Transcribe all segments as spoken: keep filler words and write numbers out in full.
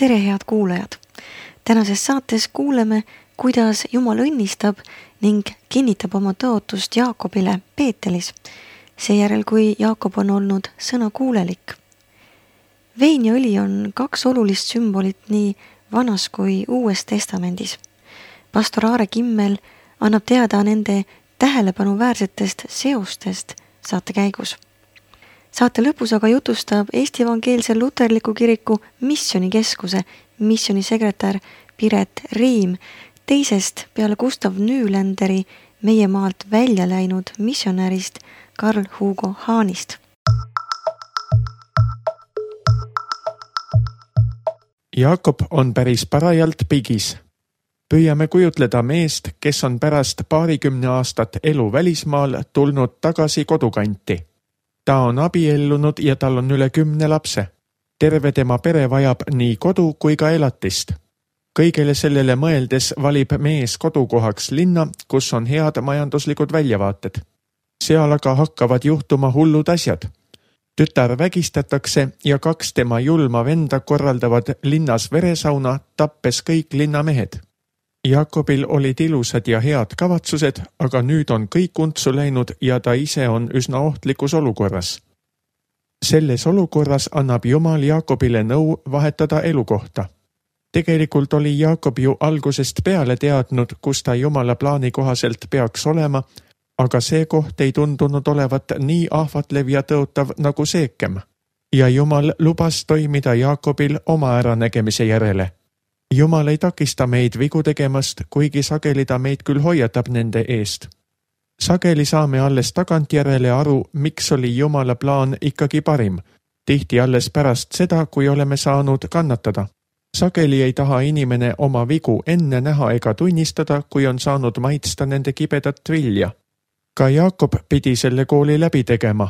Tere, head kuulajad! Tänases saates kuuleme, kuidas Jumal õnnistab ning kinnitab oma tõotust Jaakobile Peetelis, seejärel kui Jaakob on olnud sõnakuulelik. Vein ja õli on kaks olulist sümbolit nii Vanas kui Uues testamendis. Pastor Aare Kimmel annab teada nende tähelepanuväärsetest seostest saate käigus. Saate lõpus aga jutustab Eesti Evangeelse Luterliku Kiriku missionikeskuse missionisekretär Piret Riim teisest peale Gustav Nühlenderi meie maalt välja läinud missionärist Karl Hugo Haanist. Jaakob on päris parajalt pigis. Püüame kujutleda meest, kes on pärast paarikümne aastat elu välismaal tulnud tagasi kodukanti. Ta on abiellunud ja tal on üle kümne lapse. Terve tema pere vajab nii kodu kui ka elatist. Kõigele sellele mõeldes valib mees kodukohaks linna, kus on head majanduslikud väljavaated. Seal aga hakkavad juhtuma hullud asjad. Tütar vägistatakse ja kaks tema julma venda korraldavad linnas veresauna, tappes kõik linnamehed. Jaakobil olid ilusad ja head kavatsused, aga nüüd on kõik untsu läinud ja ta ise on üsna ohtlikus olukorras. Selles olukorras annab Jumal Jaakobile nõu vahetada elukohta. Tegelikult oli Jaakob ju algusest peale teadnud, kus ta Jumala plaani kohaselt peaks olema, aga see koht ei tundunud olevat nii ahvatlev ja tõotav nagu Seekem. Ja Jumal lubas toimida Jaakobil oma äranägemise järele. Jumal ei takista meid vigu tegemast, kuigi sageli ta meid küll hoiatab nende eest. Sageli saame alles tagantjärele aru, miks oli Jumala plaan ikkagi parim, tihti alles pärast seda, kui oleme saanud kannatada. Sageli ei taha inimene oma vigu enne näha ega tunnistada, kui on saanud maitsta nende kibedat vilja. Ka Jaakob pidi selle kooli läbi tegema.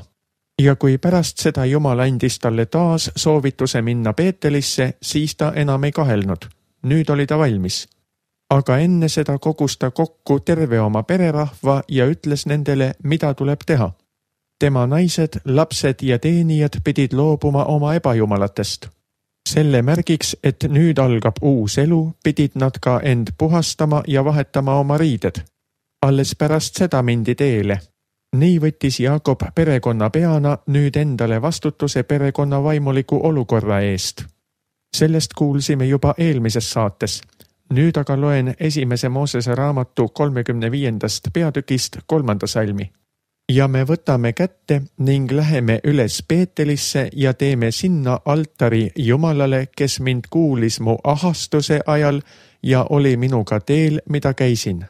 Ja kui pärast seda Jumal andis talle taas soovituse minna Peetelisse, siis ta enam ei kahelnud. Nüüd oli ta valmis. Aga enne seda kogus ta kokku terve oma pererahva ja ütles nendele, mida tuleb teha. Tema naised, lapsed ja teenijad pidid loobuma oma ebajumalatest. Selle märgiks, et nüüd algab uus elu, pidid nad ka end puhastama ja vahetama oma riided. Alles pärast seda mindi teele. Nii võttis Jaakob perekonna peana nüüd endale vastutuse perekonna vaimuliku olukorra eest. Sellest kuulsime juba eelmises saates. Nüüd aga loen esimese Moosese raamatu kolmekümne viiendast peatükist kolmanda salmi. Ja me võtame kätte ning läheme üles Peetelisse ja teeme sinna altari Jumalale, kes mind kuulis mu ahastuse ajal ja oli minuga teel, mida käisin.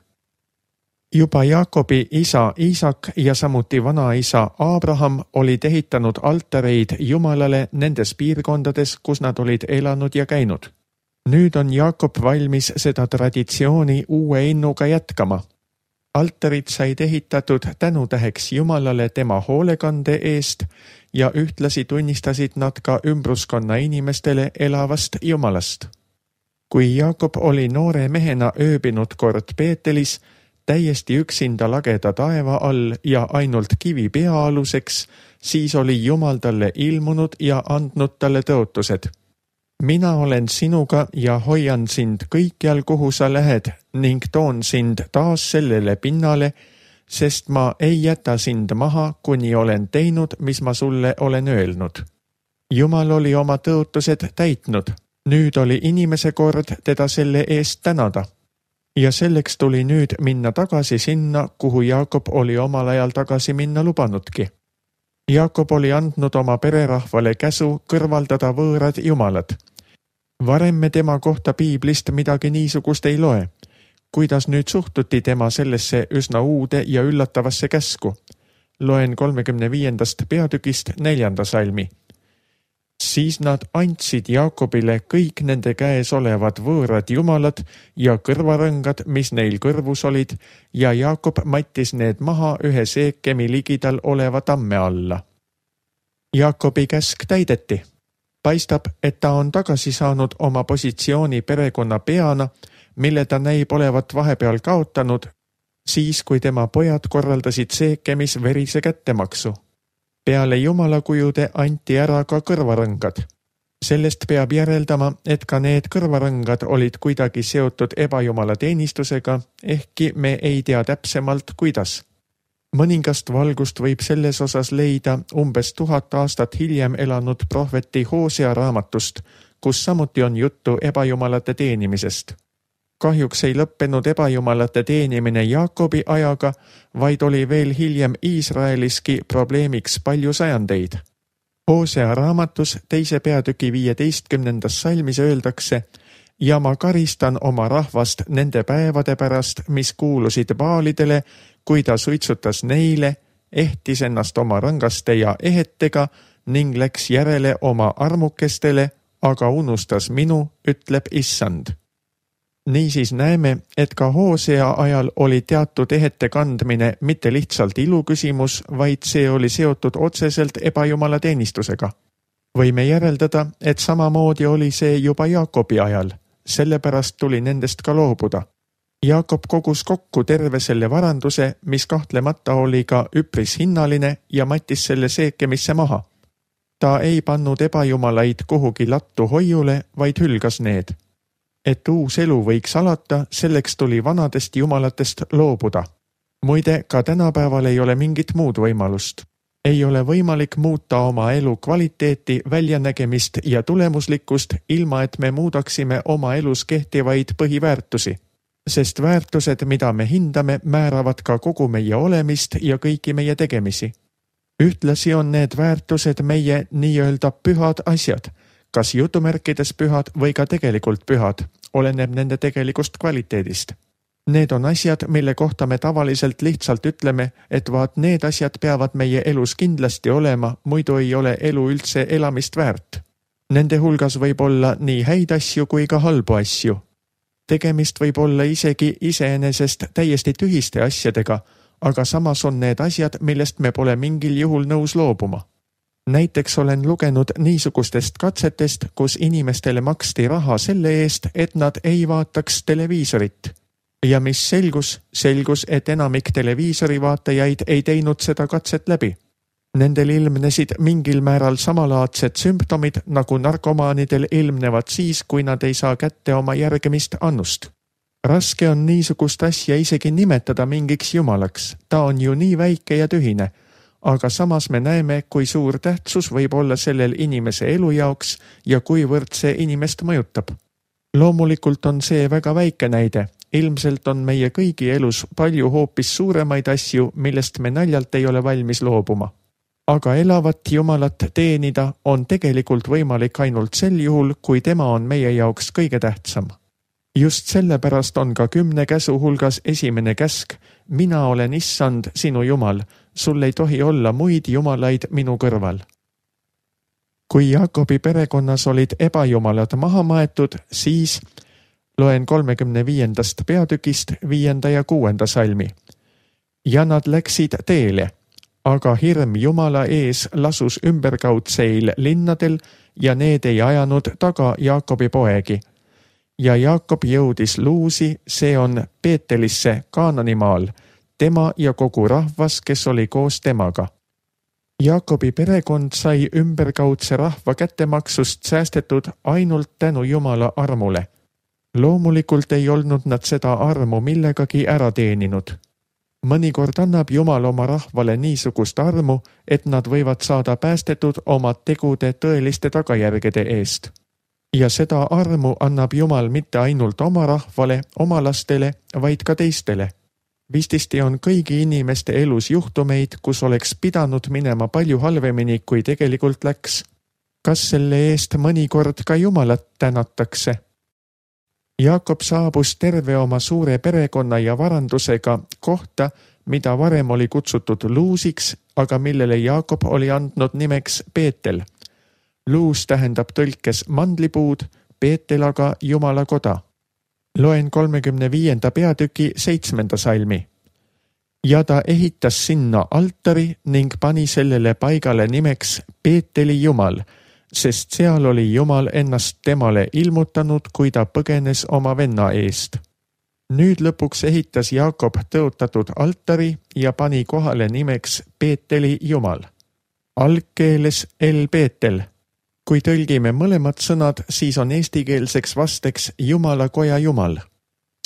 Juba Jaakobi isa Iisak ja samuti vanaisa Abraham olid ehitanud altareid Jumalale nendes piirkondades, kus nad olid elanud ja käinud. Nüüd on Jaakob valmis seda traditsiooni uue innuga jätkama. Altarid said ehitatud tänutäheks Jumalale tema hoolekande eest ja ühtlasi tunnistasid nad ka ümbruskonna inimestele elavast Jumalast. Kui Jaakob oli noore mehena ööbinud kord Peetelis, täiesti üksinda lageda taeva all ja ainult kivi peaaluseks, siis oli Jumal talle ilmunud ja andnud talle tõotused. Mina olen sinuga ja hoian sind kõikjal, kuhu sa lähed ning toon sind taas sellele pinnale, sest ma ei jäta sind maha, kuni olen teinud, mis ma sulle olen öelnud. Jumal oli oma tõotused täitnud. Nüüd oli inimese kord teda selle eest tänada. Ja selleks tuli nüüd minna tagasi sinna, kuhu Jaakob oli omal ajal tagasi minna lubanudki. Jaakob oli andnud oma pererahvale käsu kõrvaldada võõrad jumalad. Varem me tema kohta piiblist midagi niisugust ei loe. Kuidas nüüd suhtuti tema sellesse üsna uude ja üllatavasse käsku? Loen kolmekümne viiendast peatükist neljanda salmi. Siis nad andsid Jaakobile kõik nende käes olevad võõrad jumalad ja kõrvarõngad, mis neil kõrvus olid, ja Jaakob mattis need maha ühe Seekemi ligidal oleva tamme alla. Jaakobi käsk täideti. Paistab, et ta on tagasi saanud oma positsiooni perekonna peana, mille ta näib olevat vahepeal kaotanud, siis kui tema pojad korraldasid Seekemis verise kättemaksu. Peale jumalakujude anti ära ka kõrvarõngad. Sellest peab järeldama, et ka need kõrvarõngad olid kuidagi seotud ebajumala teenistusega, ehkki me ei tea täpsemalt, kuidas. Mõningast valgust võib selles osas leida umbes tuhat aastat hiljem elanud prohveti Hosea raamatust, kus samuti on juttu ebajumalate teenimisest. Kahjuks ei lõppenud ebajumalate teenimine Jaakobi ajaga, vaid oli veel hiljem Iisraeliski probleemiks palju sajandeid. Hosea raamatus teise peatüki viieteistkümnendas salmis öeldakse: ja ma karistan oma rahvast nende päevade pärast, mis kuulusid Baalidele, kui ta suitsutas neile, ehtis ennast oma rangaste ja ehetega ning läks järele oma armukestele, aga unustas minu, ütleb Issand. Niisiis näeme, et ka Hosea ajal oli teatud ehete kandmine mitte lihtsalt iluküsimus, vaid see oli seotud otseselt ebajumala teenistusega. Võime järeldada, et samamoodi oli see juba Jaakobi ajal, sellepärast tuli nendest ka loobuda. Jaakob kogus kokku terve selle varanduse, mis kahtlemata oli ka üpris hinnaline ja mattis selle seekemisse maha. Ta ei pannud ebajumalaid kuhugi lattu hoiule, vaid hülgas need. Et uus elu võiks alata, selleks tuli vanadest jumalatest loobuda. Muide, ka tänapäeval ei ole mingit muud võimalust. Ei ole võimalik muuta oma elu kvaliteeti, väljanägemist ja tulemuslikkust, ilma et me muudaksime oma elus kehtivaid põhiväärtusi. Sest väärtused, mida me hindame, määravad ka kogu meie olemist ja kõiki meie tegemisi. Ühtlasi on need väärtused meie nii-öelda pühad asjad, kas jutumärkides pühad või ka tegelikult pühad, oleneb nende tegelikust kvaliteedist. Need on asjad, mille kohta me tavaliselt lihtsalt ütleme, et vaat need asjad peavad meie elus kindlasti olema, muidu ei ole elu üldse elamist väärt. Nende hulgas võib olla nii häid asju kui ka halbu asju. Tegemist võib olla isegi iseenesest täiesti tühiste asjadega, aga samas on need asjad, millest me pole mingil juhul nõus loobuma. Näiteks olen lugenud niisugustest katsetest, kus inimestele maksti raha selle eest, et nad ei vaataks televiisorit. Ja mis selgus, selgus, et enamik televiisori vaatajaid ei teinud seda katset läbi. Nendel ilmnesid mingil määral samalaadsed sümptomid, nagu narkomaanidel ilmnevad siis, kui nad ei saa kätte oma järgemist annust. Raske on niisugust asja isegi nimetada mingiks jumalaks, ta on ju nii väike ja tühine, aga samas me näeme, kui suur tähtsus võib olla sellel inimese elu jaoks ja kuivõrd see inimest mõjutab. Loomulikult on see väga väike näide. Ilmselt on meie kõigi elus palju hoopis suuremaid asju, millest me naljalt ei ole valmis loobuma. Aga elavat Jumalat teenida on tegelikult võimalik ainult sel juhul, kui tema on meie jaoks kõige tähtsam. Just sellepärast on ka kümne käsu hulgas esimene käsk: mina olen Issand, sinu Jumal, sul ei tohi olla muid jumalaid minu kõrval. Kui Jaakobi perekonnas olid ebajumalad maha maetud, siis loen kolmekümne viiendast peatükist viienda ja kuuenda salmi. Ja nad läksid teele, aga hirm Jumala ees lasus ümberkaudseil linnadel ja need ei ajanud taga Jaakobi poegi. Ja Jaakob jõudis Luusi, see on Peetelisse Kaananimaal, tema ja kogu rahvas, kes oli koos temaga. Jaakobi perekond sai ümberkaudse rahva kättemaksust säästetud ainult tänu Jumala armule. Loomulikult ei olnud nad seda armu millegagi ära teeninud. Mõnikord annab Jumal oma rahvale niisugust armu, et nad võivad saada päästetud oma tegude tõeliste tagajärgede eest. Ja seda armu annab Jumal mitte ainult oma rahvale, oma lastele, vaid ka teistele. Vististi on kõigi inimeste elus juhtumeid, kus oleks pidanud minema palju halvemini, kui tegelikult läks. Kas selle eest mõnikord ka Jumalat tänatakse? Jaakob saabus terve oma suure perekonna ja varandusega kohta, mida varem oli kutsutud Luusiks, aga millele Jaakob oli andnud nimeks Peetel. Luus tähendab tõlkes mandlipuud, Peetel aga Jumala koda. Loen kolmekümne viienda peatüki seitsmenda salmi. Ja ta ehitas sinna altari ning pani sellele paigale nimeks Peeteli Jumal, sest seal oli Jumal ennast temale ilmutanud, kui ta põgenes oma venna eest. Nüüd lõpuks ehitas Jaakob tõotatud altari ja pani kohale nimeks Peeteli Jumal. Algkeeles El Peetel. Kui tõlgime mõlemad sõnad, siis on eestikeelseks vasteks Jumala koja Jumal.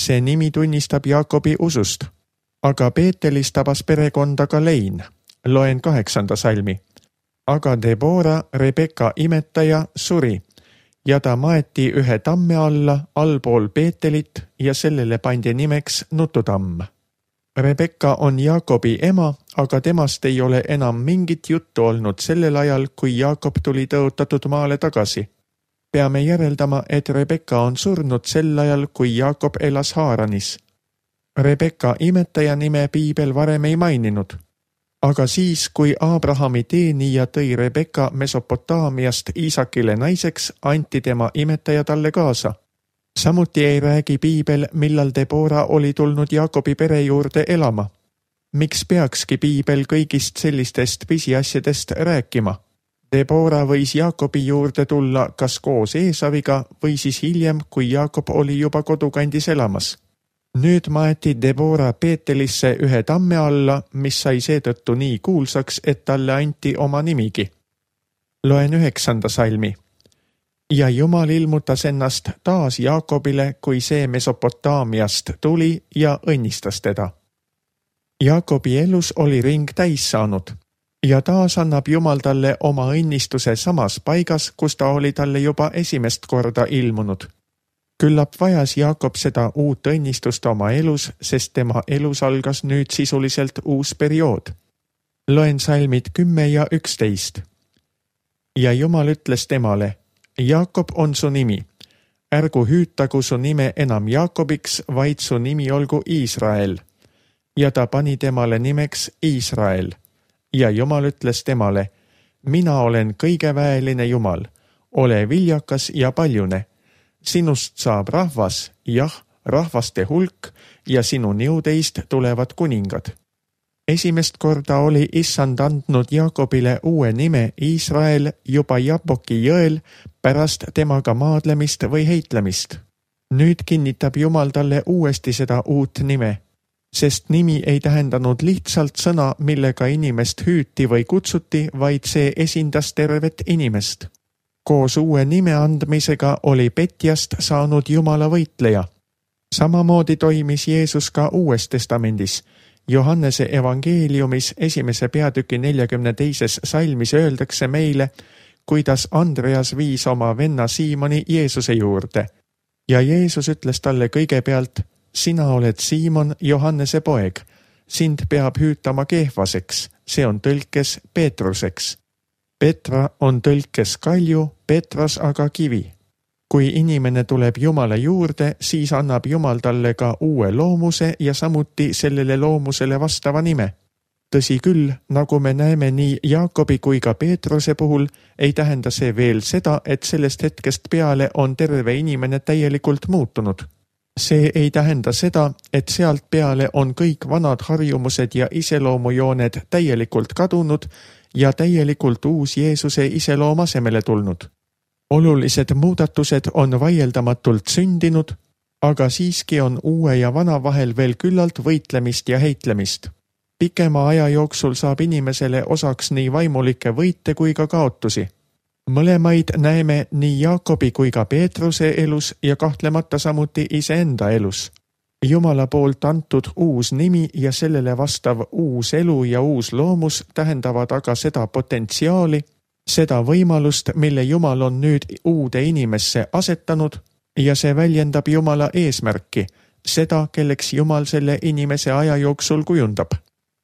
See nimi tunnistab Jaakobi usust. Aga Peetelis tabas perekonda ka lein. Loen kaheksanda salmi. Aga Debora, Rebeka imetaja, suri ja ta maeti ühe tamme alla allpool Peetelit ja sellele pandi nimeks Nututamm. Rebeka on Jaakobi ema, aga temast ei ole enam mingit juttu olnud sellel ajal, kui Jaakob tuli tõotatud maale tagasi. Peame järeldama, et Rebeka on surnud sel ajal, kui Jaakob elas Haaranis. Rebeka imetaja nime piibel varem ei maininud. Aga siis, kui Abrahami teenija tõi Rebeka Mesopotaamiast Iisakile naiseks, anti tema imetaja talle kaasa. Samuti ei räägi piibel, millal Debora oli tulnud Jaakobi pere juurde elama. Miks peakski piibel kõigist sellistest pisiasjadest rääkima? Debora võis Jaakobi juurde tulla kas koos Eesaviga või siis hiljem, kui Jaakob oli juba kodukandis elamas. Nüüd maeti Debora Peetelisse ühe tamme alla, mis sai seetõttu nii kuulsaks, et talle anti oma nimigi. Loen üheksanda salmi. Ja Jumal ilmutas ennast taas Jaakobile, kui see Mesopotaamiast tuli ja õnnistas teda. Jaakobi elus oli ring täis saanud ja taas annab Jumal talle oma õnnistuse samas paigas, kus ta oli talle juba esimest korda ilmunud. Küllap vajas Jaakob seda uut õnnistust oma elus, sest tema elus algas nüüd sisuliselt uus periood. Loen salmid kümme ja üksteist. Ja Jumal ütles temale, Jaakob on su nimi. Ärgu hüütagu su nime enam Jaakobiks, vaid su nimi olgu Iisrael. Ja ta pani temale nimeks Iisrael. Ja Jumal ütles temale, mina olen kõigeväeline Jumal, ole viljakas ja paljune. Sinust saab rahvas, jah, rahvaste hulk ja sinu niudeist tulevad kuningad. Esimest korda oli Issand andnud Jaakobile uue nime Iisrael juba Jaboki jõel pärast temaga maadlemist või heitlemist. Nüüd kinnitab Jumal talle uuesti seda uut nime, sest nimi ei tähendanud lihtsalt sõna, millega inimest hüüti või kutsuti, vaid see esindas tervet inimest. Koos uue nime andmisega oli petjast saanud Jumala võitleja. Samamoodi toimis Jeesus ka Uues testamendis. Johannese evangeeliumis esimese peatüki neljakümne teises salmis öeldakse meile, kuidas Andreas viis oma venna Siimoni Jeesuse juurde. Ja Jeesus ütles talle kõigepealt, sina oled Siimon, Johannese poeg. Sind peab hüütama Kehvaseks, see on tõlkes Peetruseks. Petra on tõlkes kalju, Petras aga kivi. Kui inimene tuleb Jumala juurde, siis annab Jumal talle ka uue loomuse ja samuti sellele loomusele vastava nime. Tõsi küll, nagu me näeme nii Jaakobi kui ka Peetruse puhul, ei tähenda see veel seda, et sellest hetkest peale on terve inimene täielikult muutunud. See ei tähenda seda, et sealt peale on kõik vanad harjumused ja iseloomujooned täielikult kadunud ja täielikult uus Jeesuse iseloom asemele tulnud. Olulised muudatused on vaieldamatult sündinud, aga siiski on uue ja vana vahel veel küllalt võitlemist ja heitlemist. Pikema aja jooksul saab inimesele osaks nii vaimulikke võite kui ka kaotusi. Mõlemaid näeme nii Jaakobi kui ka Peetruse elus ja kahtlemata samuti iseenda elus. Jumala poolt antud uus nimi ja sellele vastav uus elu ja uus loomus tähendavad aga seda potentsiaali, seda võimalust, mille Jumal on nüüd uude inimesse asetanud ja see väljendab Jumala eesmärki, seda, kelleks Jumal selle inimese aja jooksul kujundab.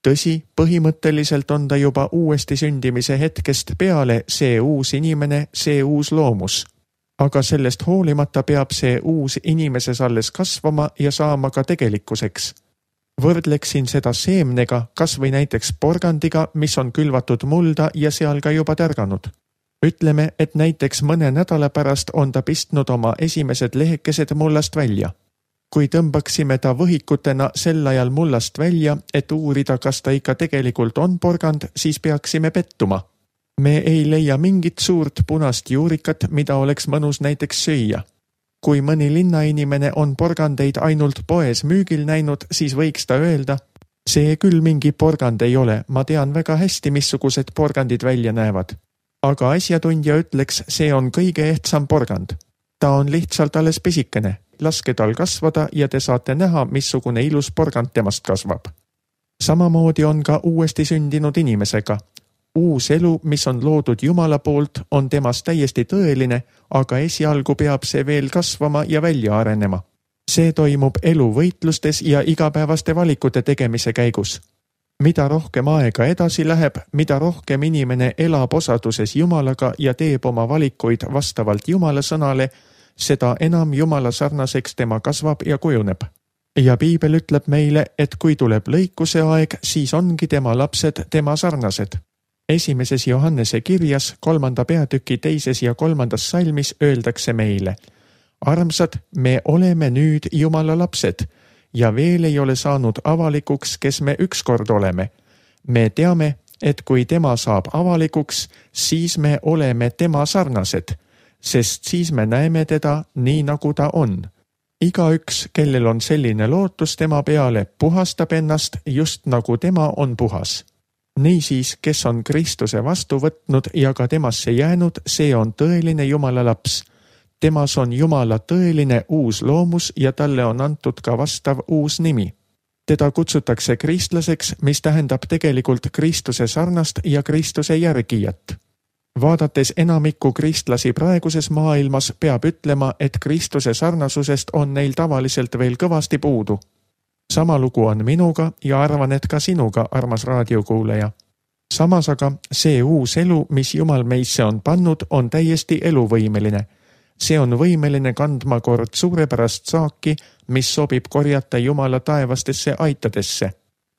Tõsi, põhimõtteliselt on ta juba uuesti sündimise hetkest peale see uus inimene, see uus loomus. Aga sellest hoolimata peab see uus inimeses alles kasvama ja saama ka tegelikkuseks. Võrdleksin seda seemnega, kas või näiteks porgandiga, mis on külvatud mulda ja seal ka juba tärganud. Ütleme, et näiteks mõne nädala pärast on ta pistnud oma esimesed lehekesed mullast välja. Kui tõmbaksime ta võhikutena sel ajal mullast välja, et uurida, kas ta ikka tegelikult on porgand, siis peaksime pettuma. Me ei leia mingit suurt punast juurikat, mida oleks mõnus näiteks süüa. Kui mõni linnainimene on porgandeid ainult poes müügil näinud, siis võiks ta öelda, see küll mingi porgand ei ole, ma tean väga hästi, missugused porgandid välja näevad. aga asjatundja ütleks, see on kõige ehtsam porgand. Ta on lihtsalt alles pisikene, laske tal kasvada ja te saate näha, missugune ilus porgand temast kasvab. Samamoodi on ka uuesti sündinud inimesega. Uus elu, mis on loodud Jumala poolt, on temas täiesti tõeline, aga esialgu peab see veel kasvama ja välja arenema. See toimub eluvõitlustes ja igapäevaste valikute tegemise käigus. Mida rohkem aega edasi läheb, mida rohkem inimene elab osaduses Jumalaga ja teeb oma valikuid vastavalt Jumala sõnale, seda enam Jumala sarnaseks tema kasvab ja kujuneb. Ja Piibel ütleb meile, et kui tuleb lõikuse aeg, siis ongi tema lapsed tema sarnased. Esimeses Johannese kirjas, kolmanda peatüki teises ja kolmandas salmis öeldakse meile: armsad, me oleme nüüd Jumala lapsed ja veel ei ole saanud avalikuks, kes me ükskord oleme. Me teame, et kui tema saab avalikuks, siis me oleme tema sarnased, sest siis me näeme teda nii, nagu ta on. Igaüks, kellel on selline lootus tema peale, puhastab ennast just nagu tema on puhas. Niisiis, kes on Kristuse vastu võtnud ja ka temasse jäänud, see on tõeline Jumala laps. Temas on Jumala tõeline uus loomus ja talle on antud ka vastav uus nimi. Teda kutsutakse kristlaseks, mis tähendab tegelikult Kristuse sarnast ja Kristuse järgijat. Vaadates enamikku kristlasi praeguses maailmas, peab ütlema, et Kristuse sarnasusest on neil tavaliselt veel kõvasti puudu. Sama lugu on minuga ja arvan, et ka sinuga, armas raadiokuulaja. Samas aga see uus elu, mis Jumal meisse on pannud, on täiesti eluvõimeline. See on võimeline kandma kord suurepärast saaki, mis sobib korjata Jumala taevastesse aitadesse.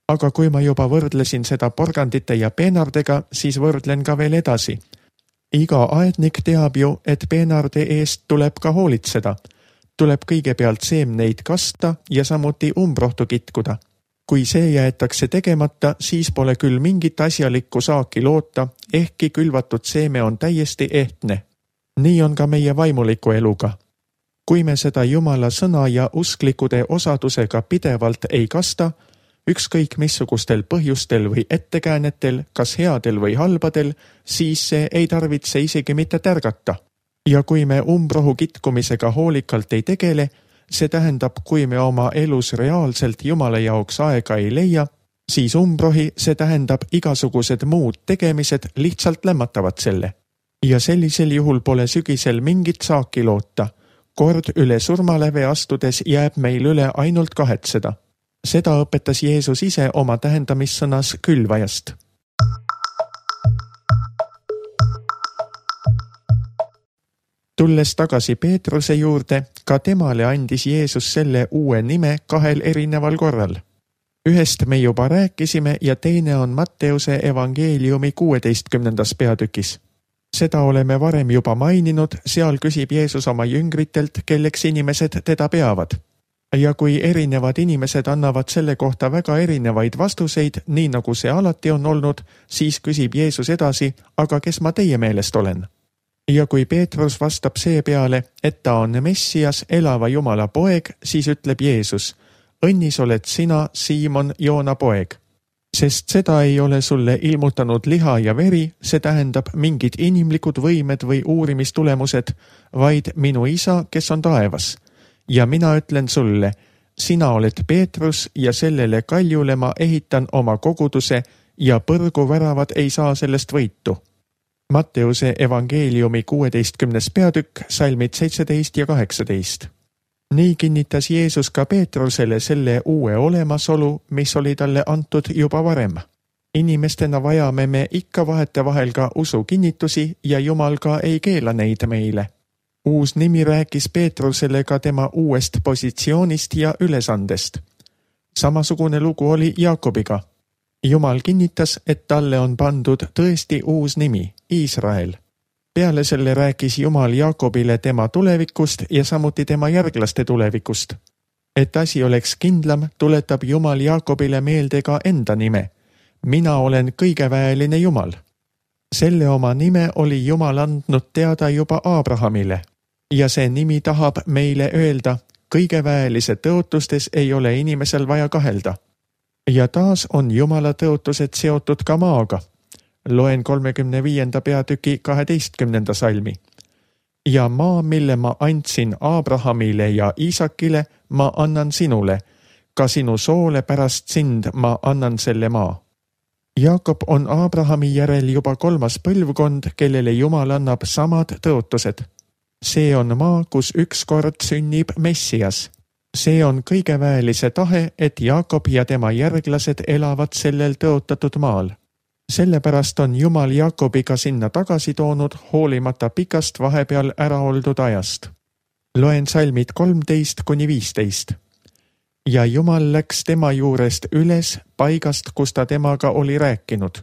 Aga kui ma juba võrdlesin seda porgandite ja peenardega, siis võrdlen ka veel edasi. Iga aednik teab ju, et peenarde eest tuleb ka hoolitseda. Tuleb kõigepealt seemneid kasta ja samuti umbrohtu kitkuda. Kui see jäetakse tegemata, siis pole küll mingit asjalikku saaki loota, ehkki külvatud seeme on täiesti ehtne. Nii on ka meie vaimuliku eluga. Kui me seda Jumala sõna ja usklikude osadusega pidevalt ei kasta, ükskõik missugustel põhjustel või ettekäänetel, kas headel või halbadel, siis see ei tarvitse isegi mitte tärgata. Ja kui me umbrohu kitkumisega hoolikalt ei tegele, see tähendab, kui me oma elus reaalselt Jumala jaoks aega ei leia, siis umbrohi, see tähendab igasugused muud tegemised lihtsalt lämmatavad selle. Ja sellisel juhul pole sügisel mingit saaki loota. Kord üle surmaläve astudes jääb meil üle ainult kahetseda. Seda õpetas Jeesus ise oma tähendamissõnas külvajast. Tulles tagasi Peetruse juurde, ka temale andis Jeesus selle uue nime kahel erineval korral. Ühest me juba rääkisime ja teine on Matteuse evangeeliumi kuueteistkümnendas peatükis. Seda oleme varem juba maininud, seal küsib Jeesus oma jüngritelt, kelleks inimesed teda peavad. Ja kui erinevad inimesed annavad selle kohta väga erinevaid vastuseid, nii nagu see alati on olnud, siis küsib Jeesus edasi, aga kes ma teie meelest olen? Ja kui Peetrus vastab see peale, et ta on Messias, elava Jumala poeg, siis ütleb Jeesus: õnnis oled sina, Siimon, Joona poeg. Sest seda ei ole sulle ilmutanud liha ja veri, see tähendab mingid inimlikud võimed või uurimistulemused, vaid minu isa, kes on taevas. Ja mina ütlen sulle, sina oled Peetrus ja sellele kaljule ma ehitan oma koguduse ja põrguväravad ei saa sellest võitu. Matteuse evangeeliumi kuueteistkümnes peatükk, salmid seitseteist ja kaheksateist. Nii kinnitas Jeesus ka Peetrusele selle uue olemasolu, mis oli talle antud juba varem. Inimestena vajame me ikka vahetevahel ka usu kinnitusi ja Jumal ka ei keela neid meile. Uus nimi rääkis Peetrusele ka tema uuest positsioonist ja ülesandest. Samasugune lugu oli Jaakobiga. Jumal kinnitas, et talle on pandud tõesti uus nimi, Iisrael. Peale selle rääkis Jumal Jaakobile tema tulevikust ja samuti tema järglaste tulevikust. Et asi oleks kindlam, tuletab Jumal Jaakobile meelde ka enda nime. Mina olen kõigeväeline Jumal. Selle oma nime oli Jumal andnud teada juba Abrahamile. Ja see nimi tahab meile öelda, kõigeväelise tõotustes ei ole inimesel vaja kahelda. Ja taas on Jumala tõotused seotud ka maaga. Loen kolmekümne viienda peatüki kaheteistkümnenda salmi. Ja maa, mille ma andsin Abrahamile ja Iisakile, ma annan sinule. Ka sinu soole pärast sind ma annan selle maa. Jaakob on Abrahami järel juba kolmas põlvkond, kellele Jumal annab samad tõotused. See on maa, kus ükskord sünnib Messias. See on kõigeväelise tahe, et Jaakob ja tema järglased elavad sellel tõotatud maal. Sellepärast on Jumal Jaakobiga sinna tagasi toonud hoolimata pikast vahepeal ära oldud ajast. Loen salmid kolmteist kuni viisteist. Ja Jumal läks tema juurest üles paigast, kus ta temaga oli rääkinud.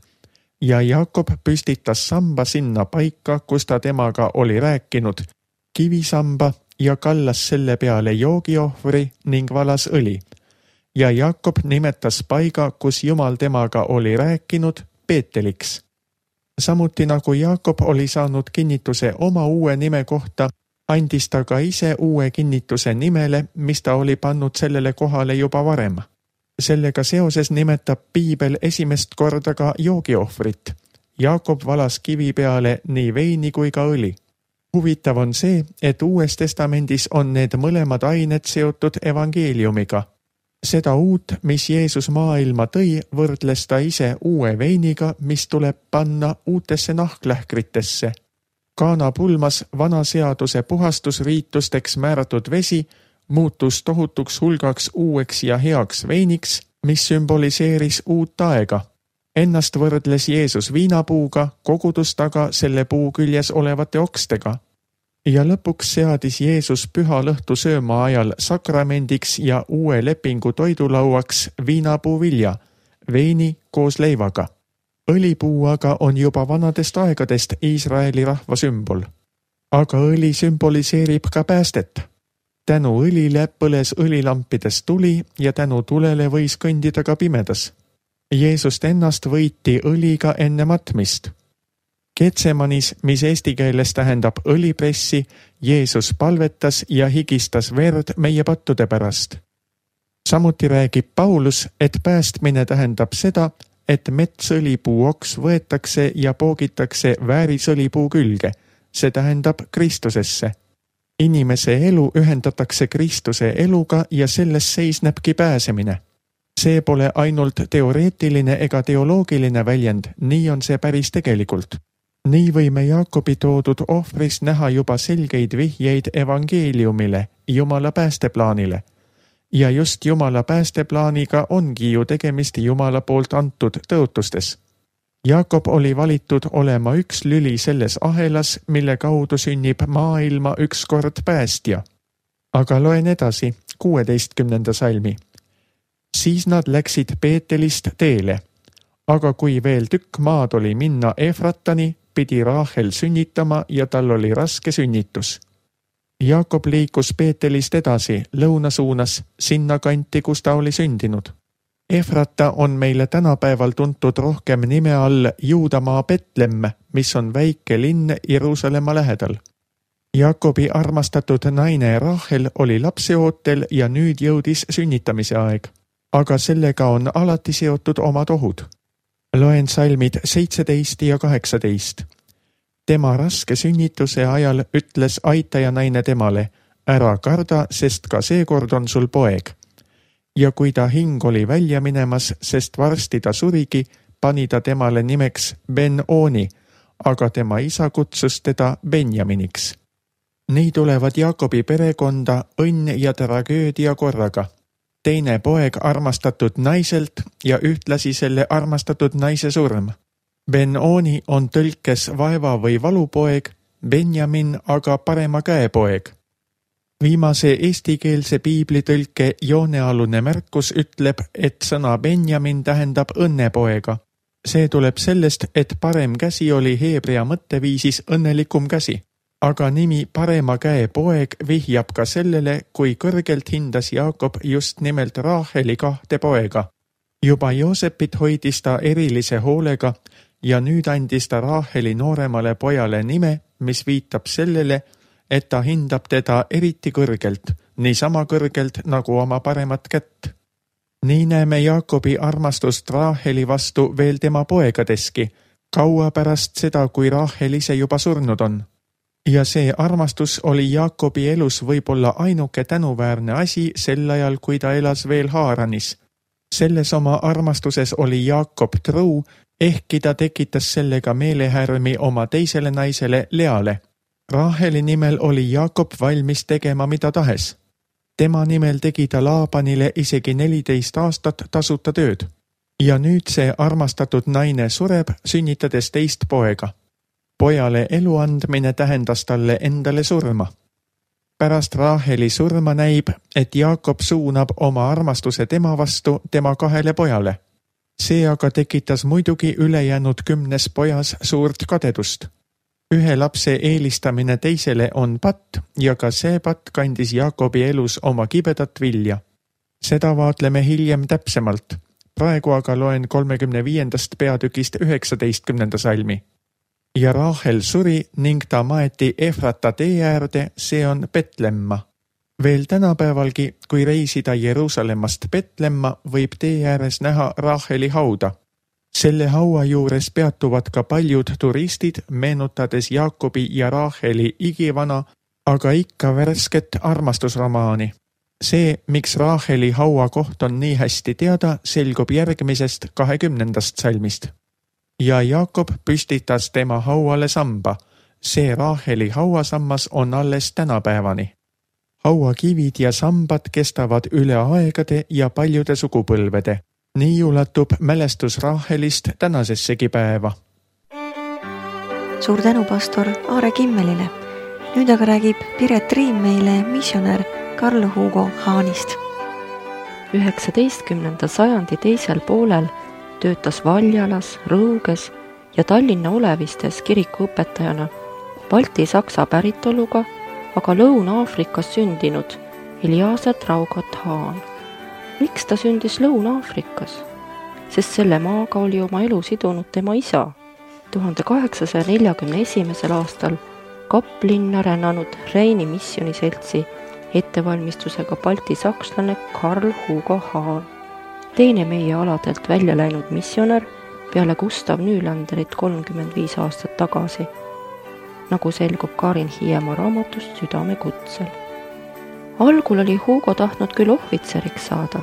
Ja Jaakob püstitas samba sinna paika, kus ta temaga oli rääkinud, kivisamba, ja kallas selle peale joogiohvri ning valas õli. Ja Jaakob nimetas paiga, kus Jumal temaga oli rääkinud, Peeteliks. Samuti nagu Jaakob oli saanud kinnituse oma uue nime kohta, andis ta ka ise uue kinnituse nimele, mis ta oli pannud sellele kohale juba varem. Sellega seoses nimetab Piibel esimest korda ka joogiohvrit. Jaakob valas kivi peale nii veini kui ka õli. Huvitav on see, et Uues Testamendis on need mõlemad ained seotud evangeeliumiga. Seda uut, mis Jeesus maailma tõi, võrdles ta ise uue veiniga, mis tuleb panna uutesse nahklähkritesse. Kaana pulmas vana seaduse puhastusriitusteks määratud vesi muutus tohutuks hulgaks uueks ja heaks veiniks, mis sümboliseeris uut aega. Ennast võrdles Jeesus viinapuuga, kogudust aga selle puu küljes olevate okstega. Ja lõpuks seadis Jeesus püha lõhtu sööma ajal sakramendiks ja uue lepingu toidulauaks viinapuu vilja, veini koos leivaga. Õlipuu aga on juba vanadest aegadest Iisraeli rahva sümbol. Aga õli sümboliseerib ka päästet. Tänu õlile põles õlilampides tuli ja tänu tulele võis kõndida ka pimedas. Jeesust ennast võiti õliga enne matmist. Getsemanis, mis eesti keeles tähendab õlipressi, Jeesus palvetas ja higistas verd meie pattude pärast. Samuti räägib Paulus, et päästmine tähendab seda, et metsõlipuu oks võetakse ja poogitakse väärisõlipuu külge, see tähendab Kristusesse. Inimese elu ühendatakse Kristuse eluga ja selles seisnebki pääsemine. See pole ainult teoreetiline ega teoloogiline väljend, nii on see päris tegelikult. Nii võime Jaakobi toodud ohvris näha juba selgeid vihjeid evangeeliumile, Jumala päästeplaanile. Ja just Jumala päästeplaaniga ongi ju tegemist Jumala poolt antud tõotustes. Jaakob oli valitud olema üks lüli selles ahelas, mille kaudu sünnib maailma ükskord päästja. Aga loen edasi, kuueteistkümnenda salmi. Siis nad läksid Peetelist teele. Aga kui veel tükk maad oli minna Efratani, pidi Raahel sünnitama ja tal oli raske sünnitus. Jaakob liikus Peetelist edasi, lõuna suunas, sinna kanti, kus ta oli sündinud. Efrata on meile tänapäeval tuntud rohkem nime all Juudamaa Betlemme, mis on väike linn Jeruusalemma lähedal. Jaakobi armastatud naine Raahel oli lapseootel ja nüüd jõudis sünnitamise aeg. Aga sellega on alati seotud omad ohud. Loen salmid seitseteist ja kaheksateist. Tema raske sünnituse ajal ütles aitaja naine temale, ära karda, sest ka seekord on sul poeg. Ja kui ta hing oli välja minemas, sest varsti ta surigi, pani ta temale nimeks Ben-Oni, aga tema isa kutsus teda Benjaminiks. Nii tulevad Jaakobi perekonda õnn ja tragöödia korraga. Teine poeg armastatud naiselt ja ühtlasi selle armastatud naise surm. Ben-Oni on tõlkes vaeva või valupoeg, Benjamin aga parema käe poeg. Viimase eestikeelse piiblitõlke joonealune märkus ütleb, et sõna Benjamin tähendab õnnepoega. See tuleb sellest, et parem käsi oli heebrea mõtteviisis õnnelikum käsi. Aga nimi parema käe poeg vihjab ka sellele, kui kõrgelt hindas Jaakob just nimelt Raaheli kahte poega. Juba Joosepit hoidis ta erilise hoolega ja nüüd andis ta Raaheli nooremale pojale nime, mis viitab sellele, et ta hindab teda eriti kõrgelt, nii sama kõrgelt nagu oma paremat kätt. Nii näeme Jaakobi armastust Raaheli vastu veel tema poegadeski, kaua pärast seda, kui Rahel ise juba surnud on. Ja see armastus oli Jaakobi elus võib-olla ainuke tänuväärne asi sel ajal, kui ta elas veel Haaranis. Selles oma armastuses oli Jaakob truu, ehkki ta tekitas sellega meelehärmi oma teisele naisele Leale. Raheli nimel oli Jaakob valmis tegema mida tahes. Tema nimel tegi ta Laabanile isegi neliteist aastat tasuta tööd. Ja nüüd see armastatud naine sureb, sünnitades teist poega. Pojale elu andmine tähendas talle endale surma. Pärast Raheli surma näib, et Jaakob suunab oma armastuse tema vastu tema kahele pojale. See aga tekitas muidugi ülejäänud kümnes pojas suurt kadedust. Ühe lapse eelistamine teisele on patt ja ka see patt kandis Jaakobi elus oma kibedat vilja. Seda vaatleme hiljem täpsemalt. Praegu aga loen kolmekümne viiendast peatükist üheksateistkümnenda salmi. Ja Rahel suri ning ta maeti Efrata tee äärde, see on Betlemma. Veel tänapäevalgi, kui reisida Jeruusalemmast Betlemma, võib tee ääres näha Raheli hauda. Selle haua juures peatuvad ka paljud turistid, meenutades Jaakobi ja Raheli igivana, aga ikka värsket armastusromaani. See, miks Raheli haua koht on nii hästi teada, selgub järgmisest kahekümnendast salmist. Ja Jaakob püstitas tema hauale samba. See Raheli hauasammas on alles tänapäevani. Hauakivid ja sambad kestavad üle aegade ja paljude sugupõlvede. Nii ulatub mälestus Rahelist tänasessegi päeva. Suur tänu pastor Aare Kimmelile. Nüüd aga räägib Piret Riim meile missionär Karl Hugo Haanist. üheksateistkümnenda sajandi teisel poolel töötas Valjalas, Rõuges ja Tallinna Olevistes kirikuõpetajana Balti-Saksa päritoluga, aga Lõuna-Aafrikas sündinud Eliasa Traugot Haan. Miks ta sündis Lõuna-Aafrikas? Sest selle maaga oli oma elu sidunud tema isa. tuhande kaheksasaja neljakümne esimesel aastal Kaplinna rännanud Reini missioniseltsi ettevalmistusega balti-sakslane Karl Hugo Haan. Teine meie aladelt välja läinud missionär peale Gustav Nylanderit kolmkümmend viis aastat tagasi, nagu selgub Karin Hiiemaa raamatust Südame kutsel. Algul oli Hugo tahtnud küll ohvitseriks saada,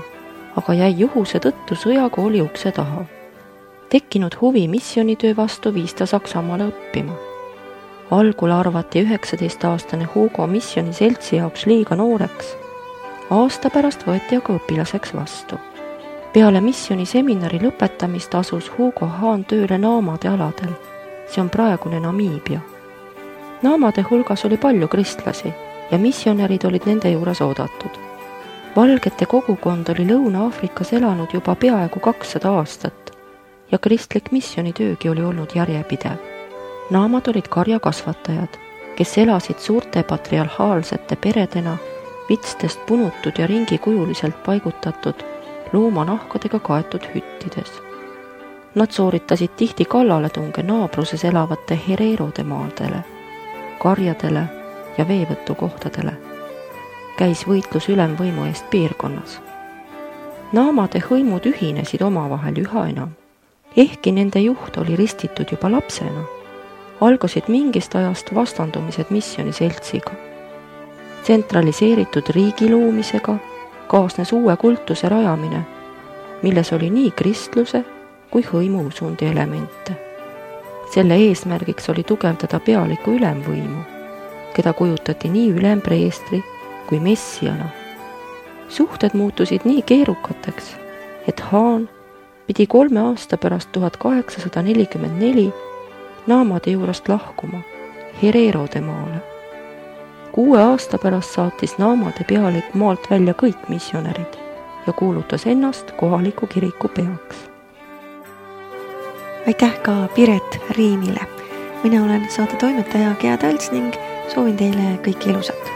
aga jäi juhuse tõttu sõjakooli ukse taha. Tekkinud huvi missionitöö vastu viis ta Saksamaale õppima. Algul arvati üheksateist-aastane Hugo missioniseltsi jaoks liiga nooreks. Aasta pärast võeti aga õpilaseks vastu. Peale missioniseminari lõpetamist asus Hugo Haan tööle Naamade aladel. See on praegune Namiibia. Naamade hulgas oli palju kristlasi ja missionärid olid nende juures oodatud. Valgete kogukond oli Lõuna-Aafrikas elanud juba peaaegu kakssada aastat ja kristlik missionitöögi oli olnud järjepidev. Naamad olid karjakasvatajad, kes elasid suurte patriarhaalsete peredena vitstest punutud ja ringikujuliselt paigutatud loomanahkadega kaetud hüttides. Nad sooritasid tihti kallaletunge naabruses elavate Hererode maadele, karjadele ja veevõtukohtadele. Käis võitlus ülemvõimu eest piirkonnas. Naamade hõimud ühinesid omavahel üha enam, ehkki nende juht oli ristitud juba lapsena. Algasid mingist ajast vastandumised missioniseltsiga. Tsentraliseeritud riigi loomisega kaasnes uue kultuse rajamine, milles oli nii kristluse kui hõimuusundi elemente. Selle eesmärgiks oli tugevdada pealiku ülemvõimu, keda kujutati nii ülempreestri kui messiana. Suhted muutusid nii keerukateks, et Haan pidi kolme aasta pärast tuhat kaheksasada nelikümmend neli Naamade juurest lahkuma Hererode maale. Kuue aasta pärast saatis Naamade pealik maalt välja kõik missionärid ja kuulutas ennast kohaliku kiriku peaks. Aitäh ka Piret Riimile. Mina olen saate toimetaja Gea Talts ning soovin teile kõike ilusat.